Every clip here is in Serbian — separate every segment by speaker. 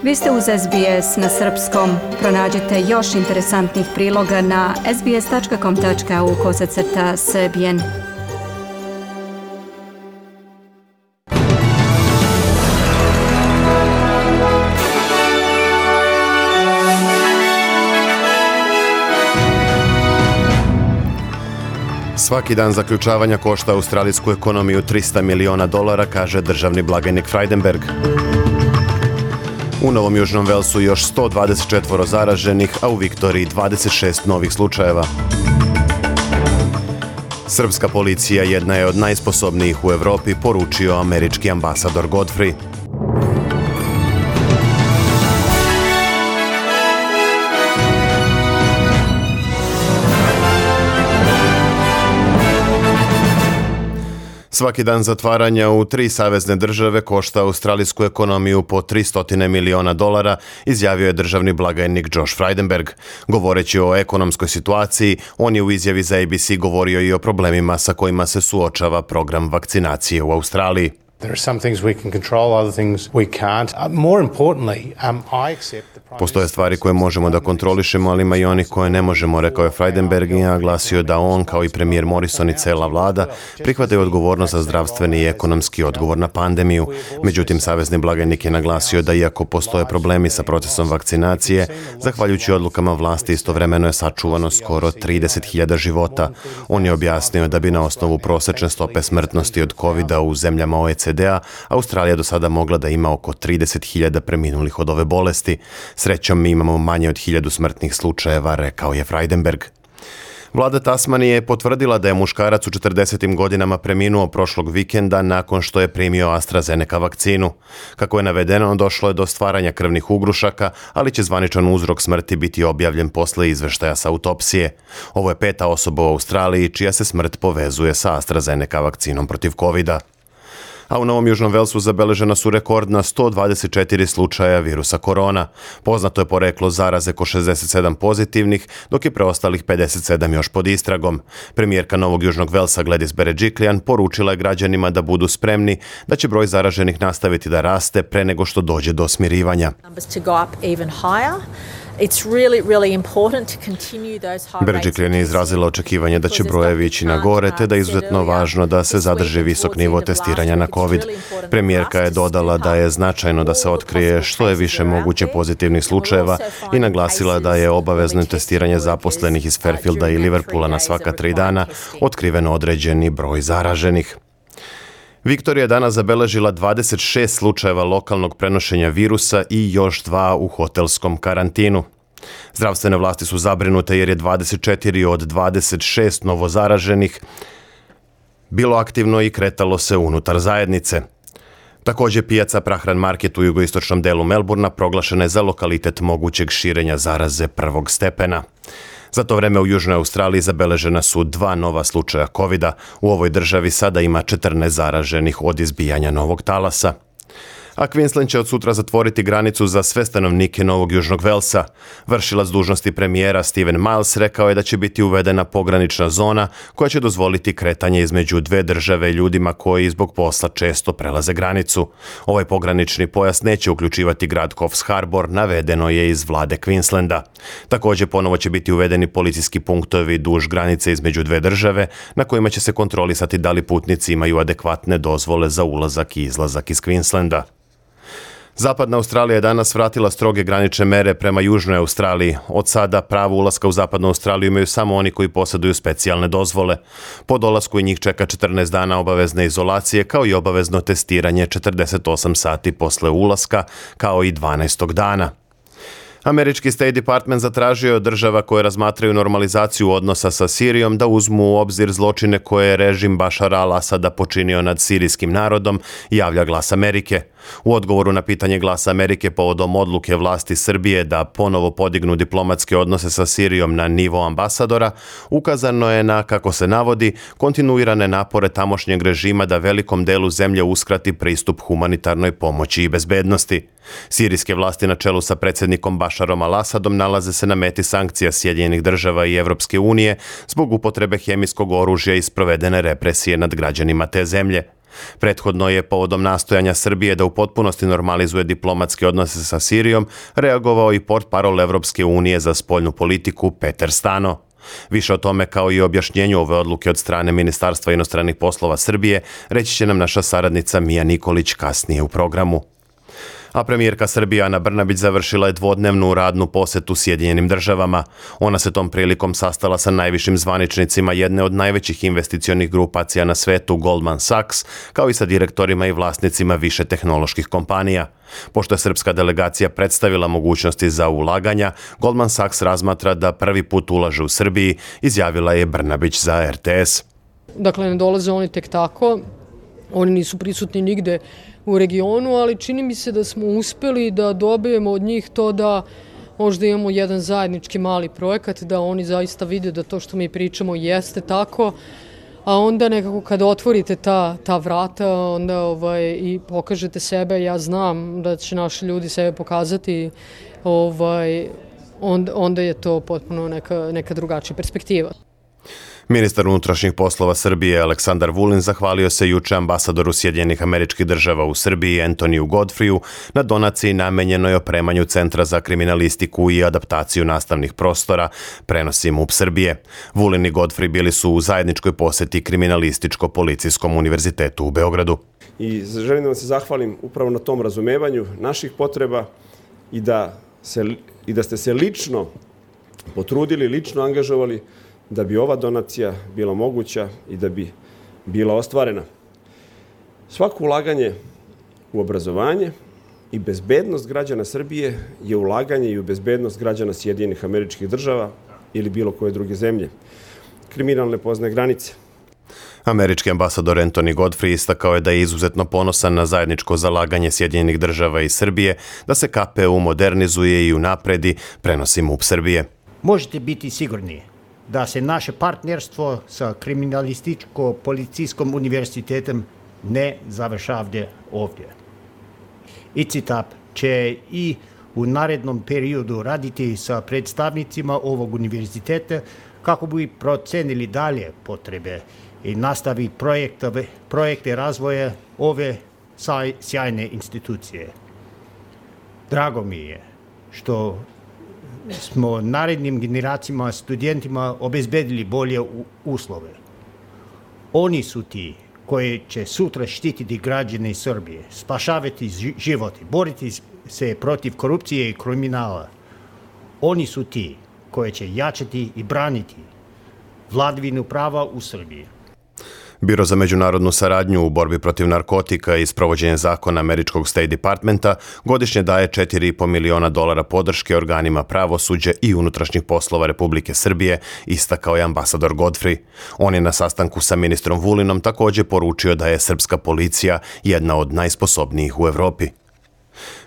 Speaker 1: Vi ste uz SBS na srpskom. Pronađite još interesantnih priloga na sbs.com.au/srbijen.
Speaker 2: Svaki dan zaključavanja košta australijsku ekonomiju $300 miliona, kaže državni blagajnik Frydenberg. U Novom Južnom Velsu još 124 zaraženih, a u Viktoriji 26 novih slučajeva. Srpska policija jedna je od najsposobnijih u Evropi, poručio američki ambasador Godfrey. Svaki dan zatvaranja u 3 savezne države košta australijsku ekonomiju po $300 miliona, izjavio je državni blagajnik Josh Frydenberg. Govoreći o ekonomskoj situaciji, on je u izjavi za ABC govorio i o problemima sa kojima se suočava program vakcinacije u Australiji.
Speaker 3: There are some things we can control, other things we can't. More importantly, I accept the
Speaker 2: Postoje stvari koje možemo da kontrolišemo, ali ima i onih koje ne možemo, rekao je Frydenberg i naglasio da on, kao i premijer Morrison i cela vlada, prihvataju odgovornost za zdravstveni i ekonomski odgovor na pandemiju. Međutim, savezni blagajnik je naglasio da iako postoje problemi sa procesom vakcinacije, zahvaljujući odlukama vlasti istovremeno je sačuvano skoro 30.000 života. On je objasnio da bi na osnovu prosečne stope smrtnosti od COVID-a u zemljama OECD-a Australija do sada mogla da ima oko 30.000 preminulih od ove bolesti. Srećom, mi imamo manje od 1000 smrtnih slučajeva, rekao je Frydenberg. Vlada Tasmanije je potvrdila da je muškarac u 40. godinama preminuo prošlog vikenda nakon što je primio AstraZeneca vakcinu. Kako je navedeno, došlo je do stvaranja krvnih ugrušaka, ali će zvaničan uzrok smrti biti objavljen posle izveštaja sa autopsije. Ovo je 5. osoba u Australiji čija se smrt povezuje sa AstraZeneca vakcinom protiv COVID-a. A u Novom Južnom Velsu zabeležena su rekordna 124 slučaja virusa korona. Poznato je poreklo zaraze ko 67 pozitivnih, dok je preostalih 57 još pod istragom. Premijerka Novog Južnog Velsa Gladys Berejiklian poručila je građanima da budu spremni, da će broj zaraženih nastaviti da raste pre nego što dođe do smirivanja. Berejiklian je izrazila očekivanje da će brojevi ići na gore, te da je izuzetno važno da se zadrži visok nivo testiranja na COVID. Premijerka je dodala da je značajno da se otkrije što je više moguće pozitivnih slučajeva i naglasila da je obavezno testiranje zaposlenih iz Fairfielda i Liverpoola na svaka 3 dana otkriveno određeni broj zaraženih. Viktorija je danas zabeležila 26 slučajeva lokalnog prenošenja virusa i još 2 u hotelskom karantinu. Zdravstvene vlasti su zabrinute jer je 24 od 26 novozaraženih bilo aktivno i kretalo se unutar zajednice. Također, pijaca Prahran Market u jugoistočnom delu Melbourna proglašena je za lokalitet mogućeg širenja zaraze 1. stepena. Za to vreme u Južnoj Australiji zabeležena su 2 nova slučaja COVID-a. U ovoj državi sada ima 14 zaraženih od izbijanja novog talasa. A Queensland će od sutra zatvoriti granicu za sve stanovnike Novog Južnog Velsa. Vršilac dužnosti premijera Steven Miles rekao je da će biti uvedena pogranična zona koja će dozvoliti kretanje između 2 države ljudima koji zbog posla često prelaze granicu. Ovaj pogranični pojas neće uključivati grad Coffs Harbour, navedeno je iz vlade Queenslanda. Također ponovo će biti uvedeni policijski punktovi duž granice između 2 države na kojima će se kontrolisati da li putnici imaju adekvatne dozvole za ulazak i izlazak iz Queenslanda. Zapadna Australija je danas vratila stroge granične mere prema Južnoj Australiji. Od sada pravo ulaska u Zapadnu Australiju imaju samo oni koji posjeduju specijalne dozvole. Po dolasku i njih čeka 14 dana obavezne izolacije, kao i obavezno testiranje 48 sati posle ulaska, kao i 12. dana. Američki State Department zatražio od država koje razmatraju normalizaciju odnosa sa Sirijom da uzmu u obzir zločine koje je režim Bašara al-Asada počinio nad sirijskim narodom, javlja Glas Amerike. U odgovoru na pitanje Glasa Amerike povodom odluke vlasti Srbije da ponovo podignu diplomatske odnose sa Sirijom na nivo ambasadora, ukazano je na, kako se navodi, kontinuirane napore tamošnjeg režima da velikom delu zemlje uskrati pristup humanitarnoj pomoći i bezbednosti. Sirijske vlasti na čelu sa predsjednikom Bašarom al-Asadom nalaze se na meti sankcija Sjedinjenih država i Evropske unije zbog upotrebe hemijskog oružja i sprovedene represije nad građanima te zemlje. Prethodno je povodom nastojanja Srbije da u potpunosti normalizuje diplomatske odnose sa Sirijom reagovao i portparol Evropske unije za spoljnu politiku Peter Stano. Više o tome kao i objašnjenju ove odluke od strane Ministarstva inostranih poslova Srbije reći će nam naša saradnica Mija Nikolić kasnije u programu. A premijerka Srbije Ana Brnabić završila je dvodnevnu radnu posetu Sjedinjenim državama. Ona se tom prilikom sastala sa najvišim zvaničnicima jedne od najvećih investicionih grupacija na svetu, Goldman Sachs, kao i sa direktorima i vlasnicima više tehnoloških kompanija. Pošto je srpska delegacija predstavila mogućnosti za ulaganja, Goldman Sachs razmatra da prvi put ulaže u Srbiji, izjavila je Brnabić za RTS.
Speaker 4: Dakle, ne dolaze oni tek tako, oni nisu prisutni nigde u regionu, ali čini mi se da smo uspeli da dobijemo od njih to da možda imamo jedan zajednički mali projekat, da oni zaista vide da to što mi pričamo jeste tako, a onda nekako kad otvorite ta vrata onda i pokažete sebe, ja znam da će naši ljudi sebe pokazati, onda je to potpuno neka drugačija perspektiva.
Speaker 2: Ministar unutrašnjih poslova Srbije Aleksandar Vulin zahvalio se juče ambasadoru Sjedinjenih Američkih Država u Srbiji Antoniju Godfreyu na donaciji namenjenoj opremanju Centra za kriminalistiku i adaptaciju nastavnih prostora, prenosi MUP Srbije. Vulin i Godfrey bili su u zajedničkoj poseti Kriminalističko-policijskom univerzitetu u Beogradu.
Speaker 5: I želim da vam se zahvalim upravo na tom razumevanju naših potreba i da ste se lično potrudili, lično angažovali da bi ova donacija bila moguća i da bi bila ostvarena. Svako ulaganje u obrazovanje i bezbednost građana Srbije je ulaganje i u bezbednost građana Sjedinjenih Američkih Država ili bilo koje druge zemlje. Kriminal ne poznaje granice.
Speaker 2: Američki ambasador Anthony Godfrey istakao je da je izuzetno ponosan na zajedničko zalaganje Sjedinjenih Država i Srbije da se KPU modernizuje i unapredi, prenosi MUP Srbije.
Speaker 6: Možete biti sigurni da se naše partnerstvo sa Kriminalističko-policijskom univerzitetom ne završavde ovdje. ICITAP će i u narednom periodu raditi sa predstavnicima ovog univerziteta kako bi procenili dalje potrebe i nastavi projekte razvoja ove sjajne institucije. Drago mi je što smo narednim generacijama, studentima obezbedili bolje uslove. Oni su ti koji će sutra štititi građane Srbije, spašavati živote, boriti se protiv korupcije i kriminala. Oni su ti koji će jačati i braniti vladavinu prava u Srbiji.
Speaker 2: Biro za međunarodnu saradnju u borbi protiv narkotika i sprovođenje zakona američkog State Departmenta godišnje daje $4,5 miliona podrške organima pravosuđa i unutrašnjih poslova Republike Srbije, istakao je ambasador Godfrey. On je na sastanku sa ministrom Vulinom također poručio da je srpska policija jedna od najsposobnijih u Evropi.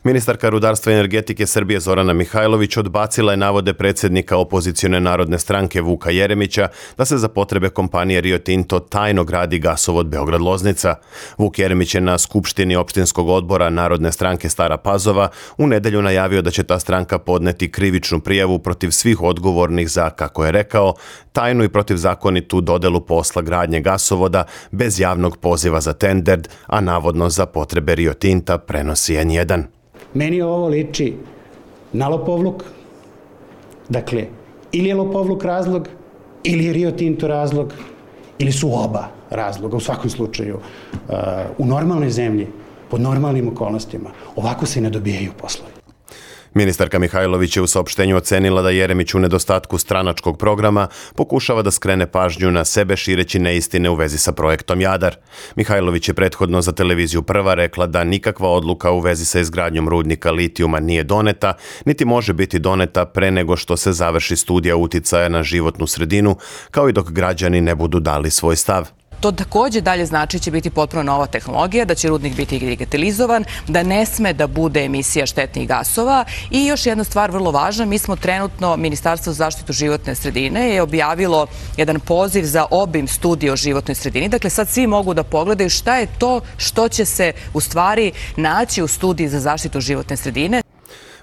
Speaker 2: Ministarka rudarstva i energetike Srbije Zorana Mihajlović odbacila je navode predsjednika opozicione Narodne stranke Vuka Jeremića da se za potrebe kompanije Rio Tinto tajno gradi gasovod Beograd-Loznica. Vuk Jeremić je na skupštini opštinskog odbora Narodne stranke Stara Pazova u nedelju najavio da će ta stranka podneti krivičnu prijavu protiv svih odgovornih za, kako je rekao, tajnu i protivzakonitu dodelu posla gradnje gasovoda bez javnog poziva za tender, a navodno za potrebe Rio Tinta, prenosi N1.
Speaker 7: Meni ovo liči na lopovluk. Dakle, ili je lopovluk razlog, ili je Rio Tinto razlog, ili su oba razloga. U svakom slučaju, u normalnoj zemlji, pod normalnim okolnostima, ovako se ne dobijaju poslovi.
Speaker 2: Ministarka Mihajlović je u saopštenju ocenila da Jeremić u nedostatku stranačkog programa pokušava da skrene pažnju na sebe šireći neistine u vezi sa projektom Jadar. Mihajlović je prethodno za televiziju Prva rekla da nikakva odluka u vezi sa izgradnjom rudnika litijuma nije doneta, niti može biti doneta pre nego što se završi studija uticaja na životnu sredinu, kao i dok građani ne budu dali svoj stav.
Speaker 8: To također dalje znači će biti potpuno nova tehnologija, da će rudnik biti digitalizovan, da ne sme da bude emisija štetnih gasova. I još jedna stvar vrlo važna, mi smo trenutno, Ministarstvo za zaštitu životne sredine je objavilo jedan poziv za obim studije o životnoj sredini. Dakle, sad svi mogu da pogledaju šta je to što će se u stvari naći u studiji za zaštitu životne sredine.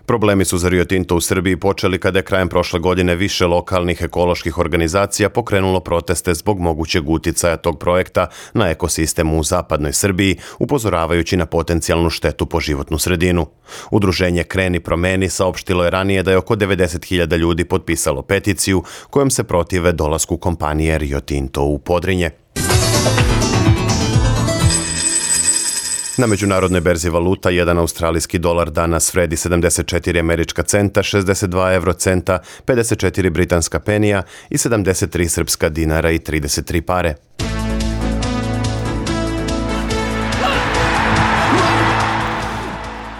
Speaker 2: Problemi su za Rio Tinto u Srbiji počeli kada je krajem prošle godine više lokalnih ekoloških organizacija pokrenulo proteste zbog mogućeg uticaja tog projekta na ekosistem u zapadnoj Srbiji, upozoravajući na potencijalnu štetu po životnu sredinu. Udruženje Kreni promeni saopštilo je ranije da je oko 90.000 ljudi potpisalo peticiju kojom se protive dolasku kompanije Rio Tinto u Podrinje. Na međunarodnoj berzi valuta, jedan australijski dolar danas vredi 74 američka centa, 62 eurocenta, 54 britanska penija i 73 srpska dinara i 33 pare.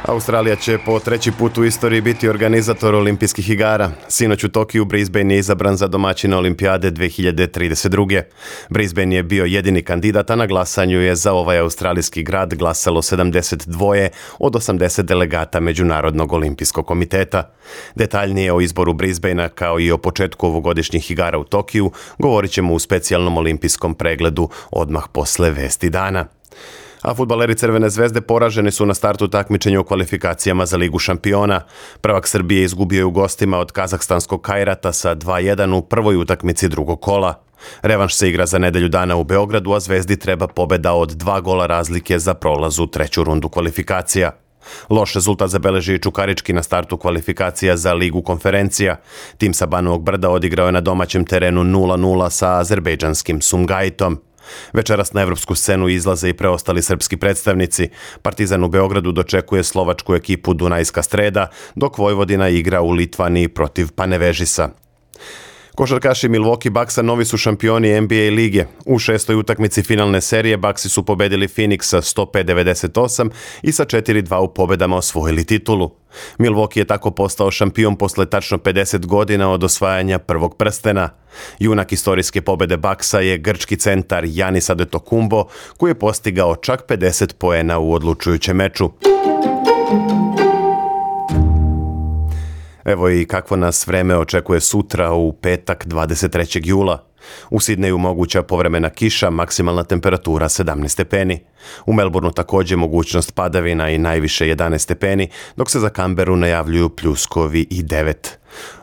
Speaker 2: Australija će po treći put u istoriji biti organizator olimpijskih igara. Sinoć u Tokiju Brisbane je izabran za domaćina olimpijade 2032. Brisbane je bio jedini kandidat, a na glasanju je za ovaj australijski grad glasalo 72 od 80 delegata Međunarodnog olimpijskog komiteta. Detaljnije o izboru Brisbanea kao i o početku ovogodišnjih igara u Tokiju govorit ćemo u specijalnom olimpijskom pregledu odmah posle vesti dana. A fudbaleri Crvene zvezde poraženi su na startu takmičenja u kvalifikacijama za Ligu šampiona. Prvak Srbije izgubio je u gostima od kazahstanskog Kajrata sa 2:1 u prvoj utakmici drugog kola. Revanš se igra za nedelju dana u Beogradu, a Zvezdi treba pobeda od 2 gola razlike za prolaz u treću rundu kvalifikacija. Loš rezultat zabeleži i Čukarički na startu kvalifikacija za Ligu konferencija. Tim sa Banovog Brda odigrao je na domaćem terenu 0:0 sa azerbejdžanskim Sumgajtom. Večeras na evropsku scenu izlaze i preostali srpski predstavnici. Partizan u Beogradu dočekuje slovačku ekipu Dunajska Streda, dok Vojvodina igra u Litvaniji protiv Panevežisa. Košarkaši Milwaukee Bucksa novi su šampioni NBA lige. U šestoj utakmici finalne serije Bucksi su pobedili Phoenix sa 105-98 i sa 4:2 u pobedama osvojili titulu. Milwaukee je tako postao šampion posle tačno 50 godina od osvajanja prvog prstena. Junak istorijske pobede Bucksa je grčki centar Giannis Antetokounmpo, koji je postigao čak 50 poena u odlučujućem meču. Evo i kakvo nas vreme očekuje sutra u petak 23. jula. U Sidneju moguća povremena kiša, maksimalna temperatura 17 stepeni. U Melbourneu također mogućnost padavina i najviše 11 stepeni, dok se za Canberru najavljuju pljuskovi i 9.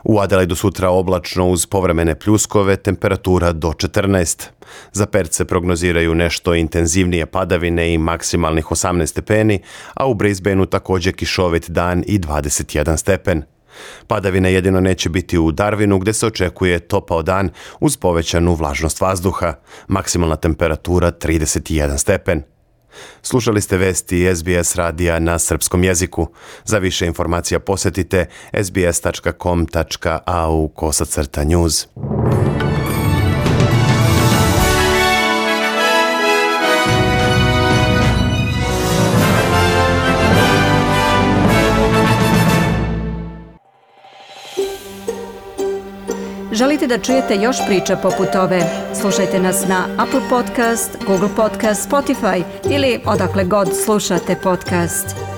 Speaker 2: U Adelaidu sutra oblačno uz povremene pljuskove, temperatura do 14. Za Perth se prognoziraju nešto intenzivnije padavine i maksimalnih 18 stepeni, a u Brisbaneu također kišovit dan i 21 stepen. Padavine jedino neće biti u Darwinu, gdje se očekuje topao dan uz povećanu vlažnost vazduha. Maksimalna temperatura 31 stepen. Slušali ste vesti SBS radija na srpskom jeziku. Za više informacija posjetite sbs.com.au/news.
Speaker 1: Želite da čujete još priča poput ove? Slušajte nas na Apple Podcast, Google Podcast, Spotify ili odakle god slušate podcast.